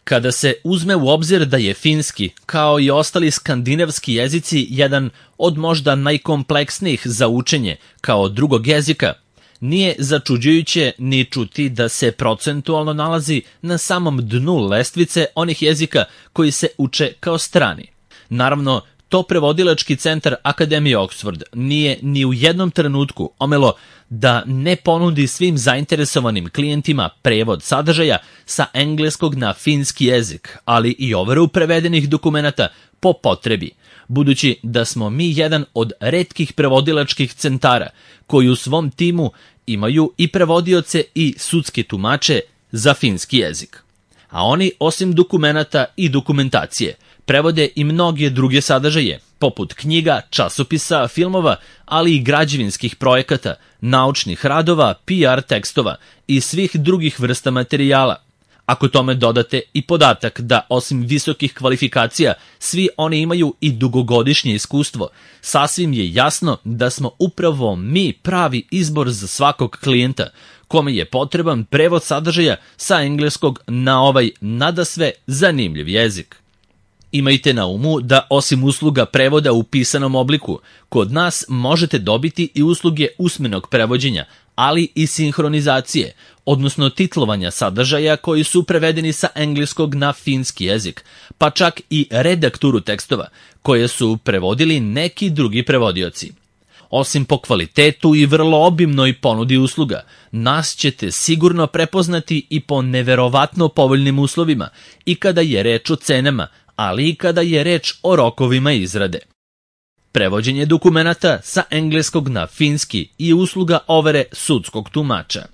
Kada se uzme u obzir da je finski, kao i ostali skandinavski jezici, jedan od možda najkompleksnijih za učenje kao drugog jezika, nije začuđujuće ni čuti da se procentualno nalazi na samom dnu lestvice onih jezika koji se uče kao strani. Naravno, to prevodilački centar Akademije Oxford nije ni u jednom trenutku omelo da ne ponudi svim zainteresovanim klijentima prevod sadržaja sa engleskog na finski jezik, ali i overu prevedenih dokumenata po potrebi, budući da smo mi jedan od retkih prevodilačkih centara koji u svom timu imaju i prevodioce i sudske tumače za finski jezik. A oni, osim dokumenata i dokumentacije, prevode i mnoge druge sadržaje, poput knjiga, časopisa, filmova, ali i građevinskih projekata, naučnih radova, PR tekstova i svih drugih vrsta materijala. Ako tome dodate i podatak da osim visokih kvalifikacija svi oni imaju i dugogodišnje iskustvo, sasvim je jasno da smo upravo mi pravi izbor za svakog klijenta, kome je potreban prevod sadržaja sa engleskog na ovaj nadasve zanimljiv jezik. Imajte na umu da osim usluga prevoda u pisanom obliku, kod nas možete dobiti i usluge usmenog prevođenja, ali i sinhronizacije, odnosno titlovanja sadržaja koji su prevedeni sa engleskog na finski jezik, pa čak i redakturu tekstova, koje su prevodili neki drugi prevodioci. Osim po kvalitetu i vrlo obimnoj ponudi usluga, nas ćete sigurno prepoznati i po neverovatno povoljnim uslovima i kada je reč o cenama, ali i kada je reč o rokovima izrade. Prevođenje dokumenata sa engleskog na finski i usluga overe sudskog tumača.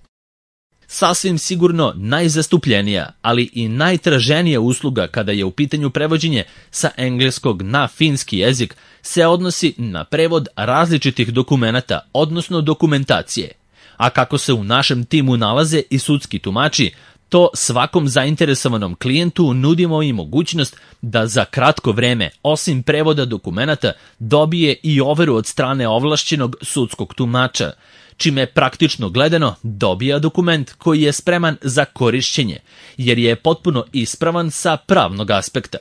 Sasvim sigurno najzastupljenija, ali i najtraženija usluga kada je u pitanju prevođenje sa engleskog na finski jezik se odnosi na prevod različitih dokumenata, odnosno dokumentacije. A kako se u našem timu nalaze i sudski tumači, to svakom zainteresovanom klijentu nudimo i mogućnost da za kratko vreme, osim prevoda dokumenata, dobije i overu od strane ovlašćenog sudskog tumača, čime praktično gledano dobija dokument koji je spreman za korišćenje, jer je potpuno ispravan sa pravnog aspekta.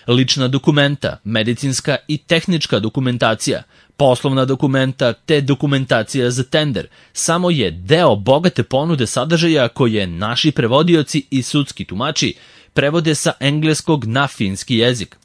Lična dokumenta, medicinska i tehnička dokumentacija, poslovna dokumenta te dokumentacija za tender samo je deo bogate ponude sadržaja koje naši prevodioci i sudski tumači prevode sa engleskog na finski jezik.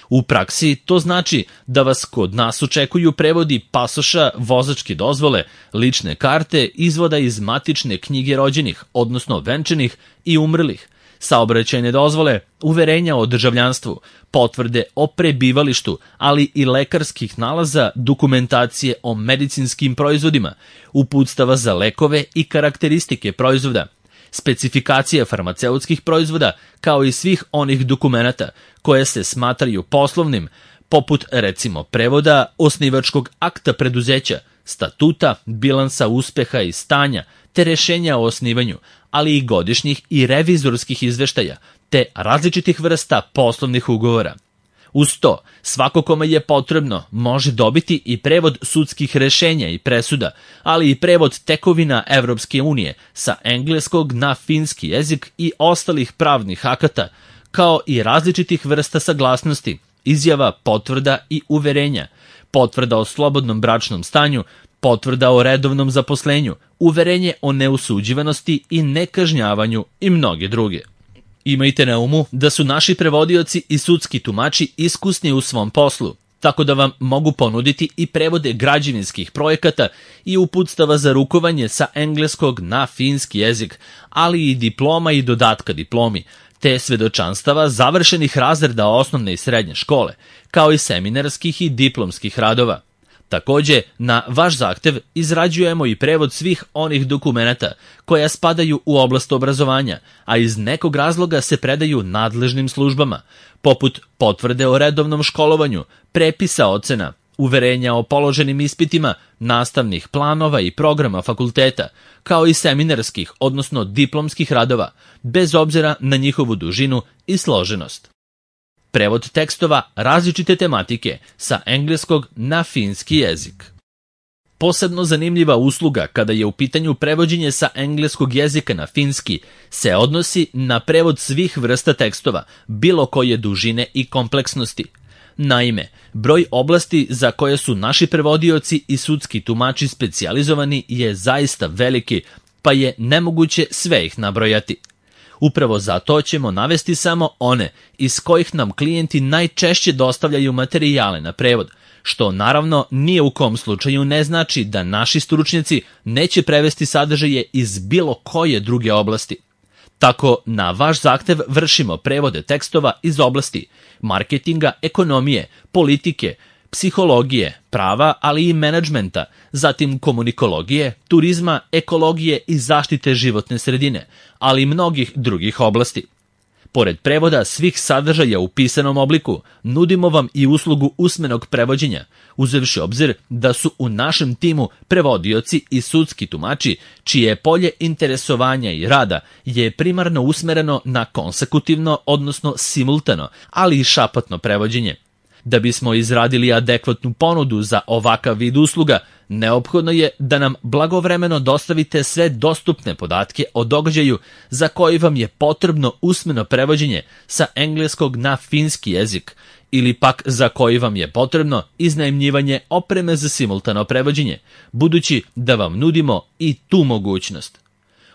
U praksi to znači da vas kod nas očekuju prevodi pasoša, vozačke dozvole, lične karte, izvoda iz matične knjige rođenih, odnosno venčanih i umrlih, saobraćajne dozvole, uverenja o državljanstvu, potvrde o prebivalištu, ali i lekarskih nalaza, dokumentacije o medicinskim proizvodima, uputstava za lekove i karakteristike proizvoda, specifikacija farmaceutskih proizvoda, kao i svih onih dokumenata koje se smatraju poslovnim, poput recimo prevoda osnivačkog akta preduzeća, statuta, bilansa uspeha i stanja, te rešenja o osnivanju, ali i godišnjih i revizorskih izveštaja, te različitih vrsta poslovnih ugovora. Uz to, svako kome je potrebno može dobiti i prevod sudskih rešenja i presuda, ali i prevod tekovina Evropske unije sa engleskog na finski jezik i ostalih pravnih akata, kao i različitih vrsta saglasnosti, izjava, potvrda i uverenja, potvrda o slobodnom bračnom stanju, potvrda o redovnom zaposlenju, uverenje o neusuđivanosti i nekažnjavanju i mnoge druge. Imajte na umu da su naši prevodioci i sudski tumači iskusni u svom poslu, tako da vam mogu ponuditi i prevode građevinskih projekata i uputstava za rukovanje sa engleskog na finski jezik, ali i diploma i dodatka diplomi, te svedočanstava završenih razreda osnovne i srednje škole, kao i seminarskih i diplomskih radova. Takođe, na vaš zahtev izrađujemo i prevod svih onih dokumenata koja spadaju u oblast obrazovanja, a iz nekog razloga se predaju nadležnim službama, poput potvrde o redovnom školovanju, prepisa ocena, uverenja o položenim ispitima, nastavnih planova i programa fakulteta, kao i seminarskih, odnosno diplomskih radova, bez obzira na njihovu dužinu i složenost. Prevod tekstova različite tematike sa engleskog na finski jezik. Posebno zanimljiva usluga kada je u pitanju prevođenje sa engleskog jezika na finski se odnosi na prevod svih vrsta tekstova, bilo koje dužine i kompleksnosti. Naime, broj oblasti za koje su naši prevodioci i sudski tumači specijalizovani je zaista veliki, pa je nemoguće sve ih nabrojati. Upravo zato ćemo navesti samo one iz kojih nam klijenti najčešće dostavljaju materijale na prevod, što naravno nije u kom slučaju ne znači da naši stručnjaci neće prevesti sadržaje iz bilo koje druge oblasti. Tako, na vaš zahtev vršimo prevode tekstova iz oblasti marketinga, ekonomije, politike, psihologije, prava, ali i menadžmenta, zatim komunikologije, turizma, ekologije i zaštite životne sredine, ali i mnogih drugih oblasti. Pored prevoda svih sadržaja u pisanom obliku, nudimo vam i uslugu usmenog prevođenja, uzevši obzir da su u našem timu prevodioci i sudski tumači, čije polje interesovanja i rada je primarno usmereno na konsekutivno, odnosno simultano, ali i šapatno prevođenje. Da bismo izradili adekvatnu ponudu za ovakav vid usluga, neophodno je da nam blagovremeno dostavite sve dostupne podatke o događaju za koji vam je potrebno usmeno prevođenje sa engleskog na finski jezik, ili pak za koji vam je potrebno iznajmljivanje opreme za simultano prevođenje, budući da vam nudimo i tu mogućnost.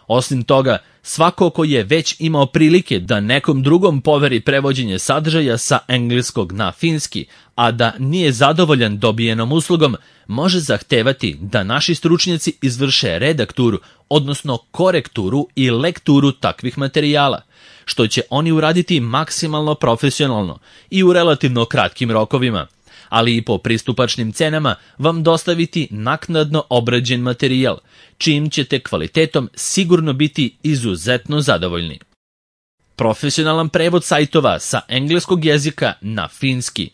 Osim toga, svako ko je već imao prilike da nekom drugom poveri prevođenje sadržaja sa engleskog na finski, a da nije zadovoljan dobijenom uslugom, može zahtevati da naši stručnjaci izvrše redakturu, odnosno korekturu i lekturu takvih materijala, što će oni uraditi maksimalno profesionalno i u relativno kratkim rokovima, ali i po pristupačnim cenama vam dostaviti naknadno obrađen materijal, čijim ćete kvalitetom sigurno biti izuzetno zadovoljni. Profesionalan prevod sajtova sa engleskog jezika na finski.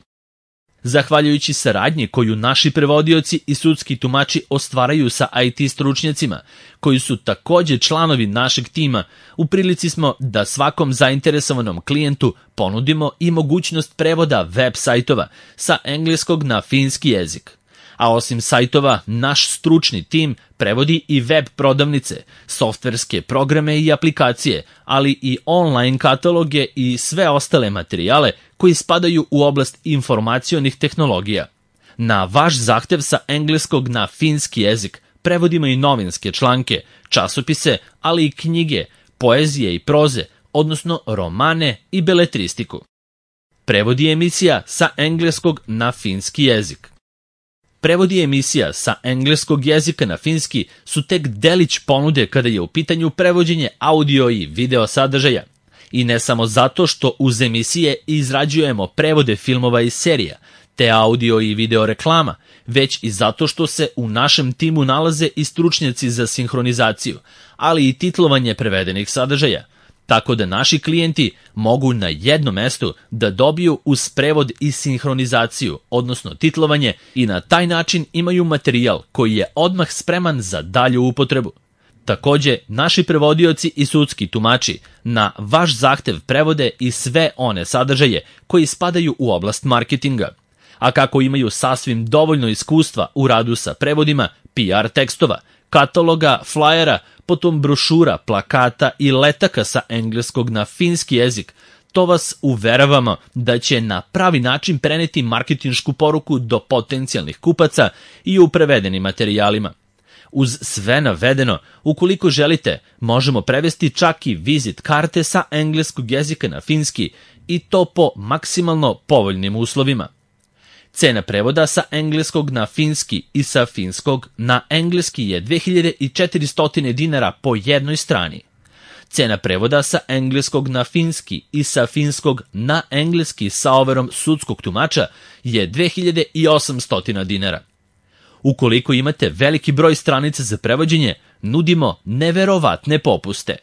Zahvaljujući saradnji koju naši prevodioci i sudski tumači ostvaraju sa IT stručnjacima, koji su također članovi našeg tima, u prilici smo da svakom zainteresovanom klijentu ponudimo i mogućnost prevoda web sajtova sa engleskog na finski jezik. A osim sajtova, naš stručni tim prevodi i web prodavnice, softverske programe i aplikacije, ali i online kataloge i sve ostale materijale koji spadaju u oblast informacionih tehnologija. Na vaš zahtev sa engleskog na finski jezik prevodimo i novinske članke, časopise, ali i knjige, poezije i proze, odnosno romane i beletristiku. Prevodi emisija sa engleskog na finski jezik. Prevodi emisija sa engleskog jezika na finski su tek delić ponude kada je u pitanju prevođenje audio i video sadržaja. I ne samo zato što uz emisije izrađujemo prevode filmova i serija, te audio i video reklama, već i zato što se u našem timu nalaze i stručnjaci za sinhronizaciju, ali i titlovanje prevedenih sadržaja, tako da naši klijenti mogu na jednom mestu da dobiju uz prevod i sinhronizaciju, odnosno titlovanje, i na taj način imaju materijal koji je odmah spreman za dalju upotrebu. Također, naši prevodioci i sudski tumači na vaš zahtev prevode i sve one sadržaje koji spadaju u oblast marketinga. A kako imaju sasvim dovoljno iskustva u radu sa prevodima, PR tekstova, kataloga, flajera, potom brošura, plakata i letaka sa engleskog na finski jezik, to vas uveravamo da će na pravi način preneti marketinšku poruku do potencijalnih kupaca i u prevedenim materijalima. Uz sve navedeno, ukoliko želite, možemo prevesti čak i vizit karte sa engleskog jezika na finski, i to po maksimalno povoljnim uslovima. Cena prevoda sa engleskog na finski i sa finskog na engleski je 2400 dinara po jednoj strani. Cena prevoda sa engleskog na finski i sa finskog na engleski sa overom sudskog tumača je 2800 dinara. Ukoliko imate veliki broj stranica za prevođenje, nudimo neverovatne popuste.